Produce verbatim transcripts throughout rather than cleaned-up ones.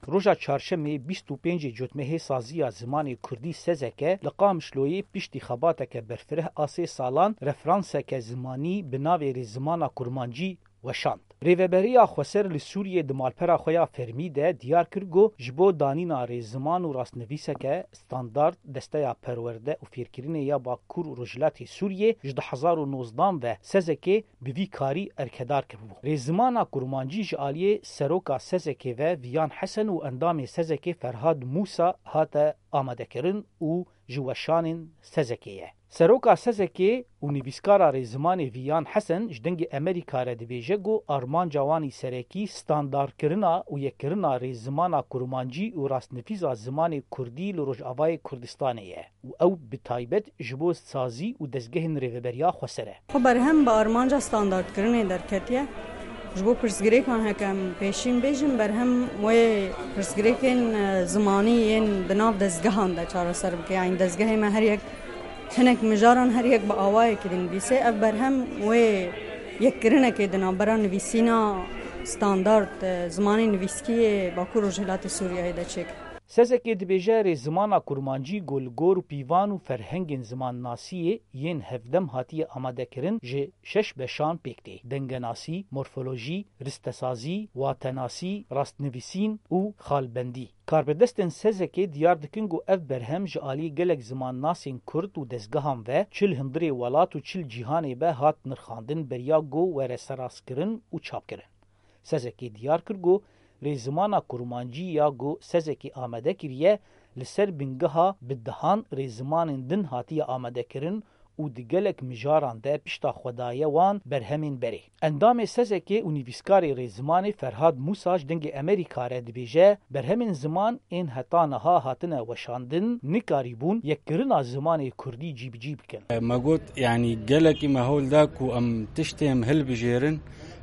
Roja çarşemê bîst û pêncê Cotmehê saziya zimanê kurdî Sezeke li Qamişloyê piştî xebateke berfireh a sê salan referanseke zimanî bi navê Rêzimana Kurmancî weşand. Rêveberiya Xweser li Sûriyê di malpera xwe ya fermî de diyar kir ku ji bo danîna rêziman û rastnivîseke standard Desteya Perwerde û Fêrkirinê ya Bakur û Rojhilatê Sûriyê ji du hezar û nozdan ve Sezekê bi vî karî erkedar kiribû. Rêzimana Kurmancî ji aliyê seroka Sezekê ve Viyan Hesen û endamê Sezekê Ferhad Mûsa hate amadekirin û ji weşanên Sezekê ye. Seroka Sezekê û nivîskara rêzimanê Viyan Hesen ji Dengê Emerîka re dibêje ku armanca wan î serekî standardkirina û yekkirina rêzimana kurmancî û rastnivîsa zimanê kurdî li Rojavayê Kurdistanê ye û ew bi taybet ji bo sazî û dezgehên rêveberiya xweser e. Xwe berhem bi armanca standardkirinê derketiye. Ji bo pirsgirêkan heke em pêşîn bêjin, berhem wê pirsgirêkên, e, zimanî yên di nav dezgehan de çareser bike. Yanî dezgehê me her yek hinek mijaran her yek bi awayekî dinivîse. Ev berhem wê yekkirinekê di navbera nivîsîna standard, e, zimanê nivîskî yê Bakur Rojhilatê Sûriyeyê de çêkir. Sezekê dibêje rêzimana kurmancî ku li gor pîvan û ferhengên zimannasiyê yên hevdem hatiye amadekirin ji şeş beşan pêk tê: dengenasî, morfolojî, ristesazî, watenasî, rastnivîsîn û xalbendî. Karbidestên Sezekê diyar dikin ku ev berhem ji alî gelek zimannasên kurd û dezgehan ve çi li hundirê welat û çi li cîhanê be hat nirxandin beriya ku were serastkirin û çapkirin. Sezekê diyar kir ku rêzimana kurmancî ya ku Sezekê amade kiriye, li ser bingeha bi dehan rêzimanên din hatiye amadekirin û di gelek mijaran de pişta xwe daye wan berhemên berê. Endamê Sezekê û nivîskarê rêzimanê Ferhad Mûsa ji Dengê Emerîka re dibêje, berhemên ziman ên heta niha hatine weşandin nikarîbûn yekkirina zimanê kurdî cîbicî bikin. Me got, yanî gelekî me hewl da ku em tiştê em hilbijêrin,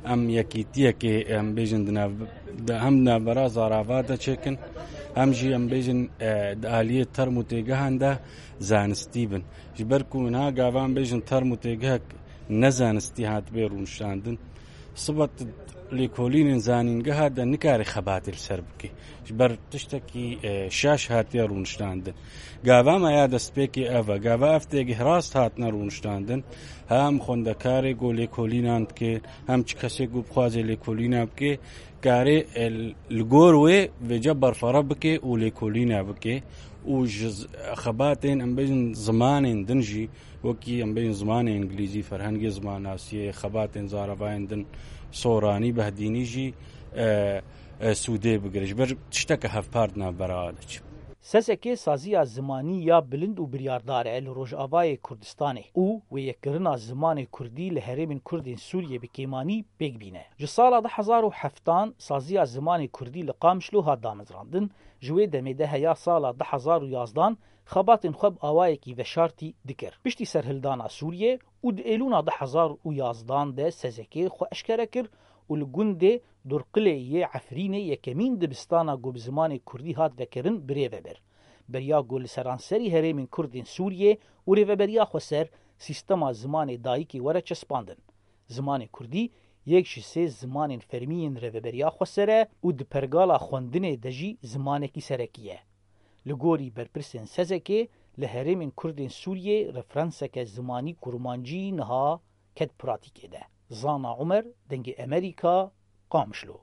em yekîtiyekê, em bêjin, di nav-, di, hem di navbera zarava de çêkin, hem jî em bêjin, e, di aliyê term û têgehan de zanistî bin. Ji ber ku niha gava em bêjin term û têgehek ne zanistî hatibê rûniştandin, sibat lêkolînên zanîngeha de nikare xebatê li ser bike. Ji ber tiştekî, e, şaş hatiye rûniştandin. Gava me ya destpêkê ev e. Gava ev têgeh rast hatine rûniştandin. Hem xwendekarê ku lêkolînan bike, hem çi kesê ku bixwaze lêkolîna bike, karê, e, li gor wê vêca berfara bike û lêkolîna bike û ji z-, xebatên, em bêjin, zimanên din jî, wekî em bêjin zimanê îngilîzî, ferhengê zimannasiyê, xebatên zaravayên din, soranî, behdînî jî, e, e, sûdê bigire. Ji ber tişteke hevpar di navbera de çi. Sezekê saziya zimanî ya bilind û biryardar e li Rojavayê Kurdistanê û wêyekirina zimanê kurdî li herêmên kurdên Sûriyê bi kêmanî pêk bîne. Ji sala du hezar û heftan saziya zimanê kurdî li Qamişlo hat damezrandin, ji wê demê de heya sala du hezar û yazdan xebatên xwe bi awayekî veşartî dikir. Piştî serhildana Sûriyê û di Êlûna du hezar û yazdan de Sezekê xwe eşkere kir û li gundê Durqilê yê Efrînê yekemîn dibistana ku bi zimanê kurdî hat vekirin birêve bir. Beriya ku li seranserî herêmên kurdên Sûriyê û Rêveberiya Xweser sîstema zimanê dayikê were çespandin. Zimanê kurdî yek ji sê zimanên fermî yên Rêveberiya Xweser e û di pergala xwendinê de jî zimanekî serekî ye. Li gorî berpirsên Sezekê, li herêmên kurdên Sûriyê referanseke zimanî kurmancî niha ket pratîkê de. Zana Umer, Dengê Emerîka, Qamişlo.